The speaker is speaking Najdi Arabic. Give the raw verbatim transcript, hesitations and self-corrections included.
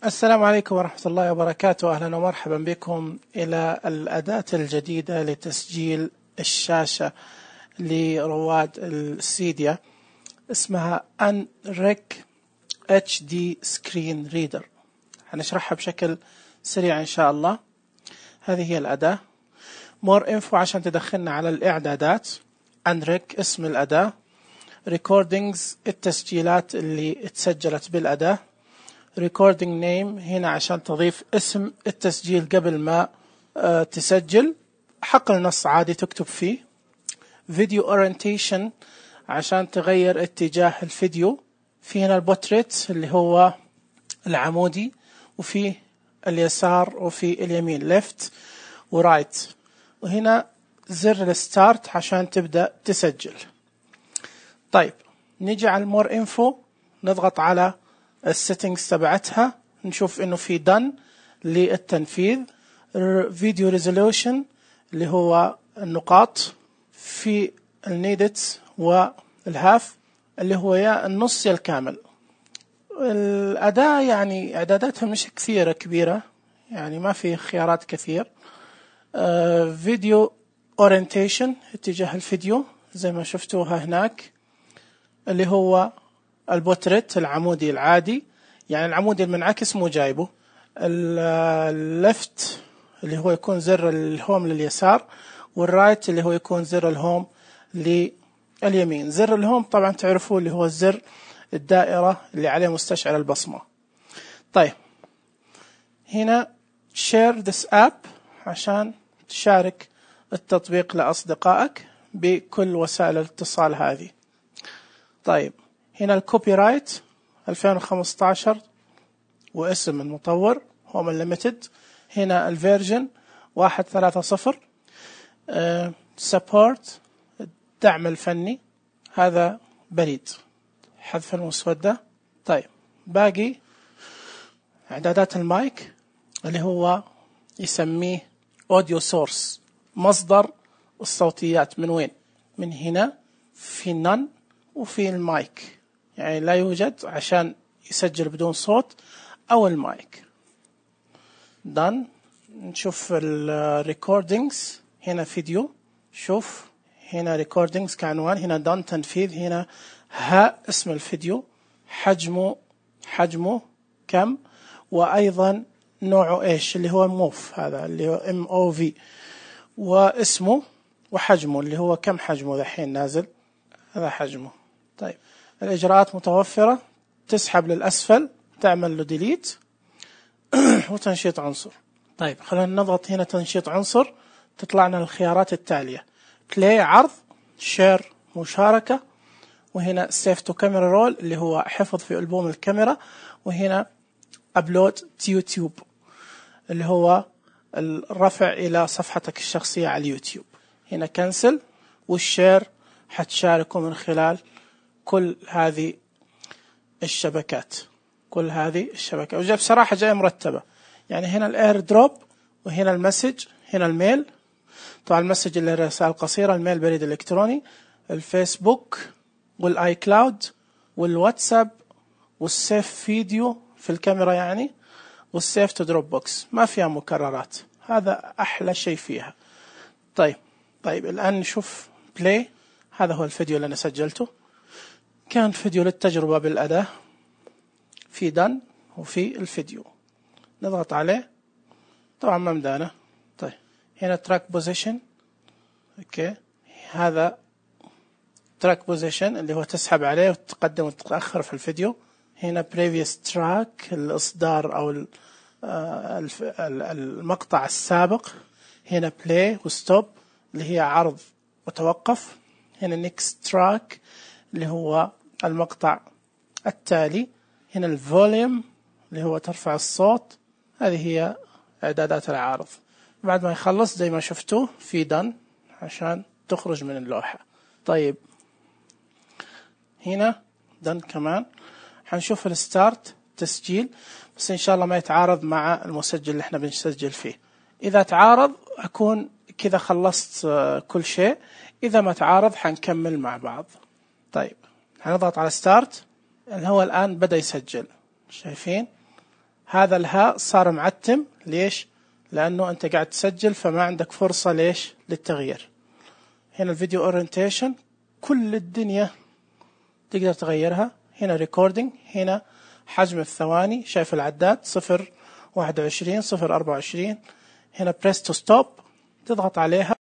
السلام عليكم ورحمة الله وبركاته. أهلا ومرحبا بكم إلى الأداة الجديدة لتسجيل الشاشة لرواد السيديا، اسمها أنريك اتش دي سكرين ريدر. هنشرحها بشكل سريع إن شاء الله. هذه هي الأداة. مور انفو عشان تدخلنا على الإعدادات. أنريك اسم الأداة. ريكوردينجز التسجيلات اللي اتسجلت بالأداة. recording name هنا عشان تضيف اسم التسجيل قبل ما أه تسجل. حقل نص عادي تكتب فيه. video orientation عشان تغير اتجاه الفيديو. في هنا البورتريت اللي هو العمودي، وفي اليسار وفي اليمين left و right، وهنا زر الستارت عشان تبدأ تسجل. طيب نيجي على المور انفو، نضغط على السيتنجز تبعتها، نشوف انه في done للتنفيذ. فيديو ريزولوشن اللي هو النقاط، في النيدت والهاف اللي هو يا النص يا الكامل. الأداة يعني إعداداتها مش كثيرة كبيرة، يعني ما في خيارات كثير. فيديو اورينتيشن اتجاه الفيديو زي ما شفتوها هناك، اللي هو البورتريت العمودي العادي، يعني العمودي المنعكس مو جايبه. الليفت اللي هو يكون زر الهوم لليسار، والرايت اللي هو يكون زر الهوم لليمين. زر الهوم طبعا تعرفوه اللي هو الزر الدائرة اللي عليه مستشعر البصمة. طيب هنا share this app عشان تشارك التطبيق لأصدقائك بكل وسائل الاتصال هذه. طيب هنا الكوبي رايت ألفين وخمسة عشر واسم المطور هوم ليميتد. هنا الفيرجن واحد ثلاثة صفر. سبورت الدعم الفني، هذا بريد حذف المسودة. طيب باقي إعدادات المايك اللي هو يسميه أوديو سورس، مصدر الصوتيات من وين؟ من هنا في نن وفي المايك، يعني لا يوجد عشان يسجل بدون صوت أو المايك. دان. نشوف الريكوردينجز، هنا فيديو، شوف هنا ريكوردينجز كعنوان، هنا دان تنفيذ، هنا ها اسم الفيديو، حجمه حجمه كم، وأيضا نوعه إيش اللي هو موف، هذا اللي هو ام او في، واسمه وحجمه اللي هو كم حجمه ذحين نازل، هذا حجمه. طيب الإجراءات متوفرة، تسحب للأسفل، تعمل له ديليت وتنشيط عنصر. طيب خلينا نضغط هنا تنشيط عنصر، تطلع لنا الخيارات التالية: بلاي عرض، شير مشاركة، وهنا سيف تو كاميرا رول اللي هو حفظ في ألبوم الكاميرا، وهنا أبلود يوتيوب اللي هو الرفع إلى صفحتك الشخصية على اليوتيوب. هنا كنسل، والشير حتشاركه من خلال كل هذه الشبكات كل هذه الشبكات وجاب بصراحة جاية مرتبة. يعني هنا الاير دروب، وهنا المسج، هنا الميل، طبعا المسج اللي رسائل قصيرة، الميل بريد الإلكتروني، الفيسبوك والاي كلاود والواتساب والسيف فيديو في الكاميرا يعني، والسيف تو دروب بوكس، ما فيها مكررات، هذا أحلى شيء فيها. طيب طيب الآن نشوف بلاي. هذا هو الفيديو اللي أنا سجلته، كان فيديو للتجربة بالأداة، في دن وفي الفيديو. نضغط عليه، طبعا ما مدانا. طيب هنا تراك بوزيشن، اوكي، هذا تراك بوزيشن اللي هو تسحب عليه وتقدم وتتأخر في الفيديو. هنا بريفيوس تراك الإصدار أو المقطع السابق. هنا بلاي وستوب اللي هي عرض وتوقف. هنا نيكست تراك اللي هو المقطع التالي. هنا الفوليوم اللي هو ترفع الصوت. هذه هي إعدادات العارض. بعد ما يخلص زي ما شفتوا في دن عشان تخرج من اللوحة. طيب هنا دن كمان. حنشوف الستارت تسجيل، بس إن شاء الله ما يتعارض مع المسجل اللي احنا بنسجل فيه. إذا تعارض أكون كذا خلصت كل شيء، إذا ما تعارض حنكمل مع بعض. طيب هنضغط على ستارت، اللي هو الآن بدأ يسجل، شايفين هذا الهاء صار معتم. ليش؟ لأنه أنت قاعد تسجل فما عندك فرصة ليش للتغيير. هنا الفيديو اورينتيشن كل الدنيا تقدر تغيرها. هنا ريكوردينج، هنا حجم الثواني، شايف العداد صفر واحد وعشرين صفر أربعة وعشرين. هنا بريس تو ستوب، تضغط عليها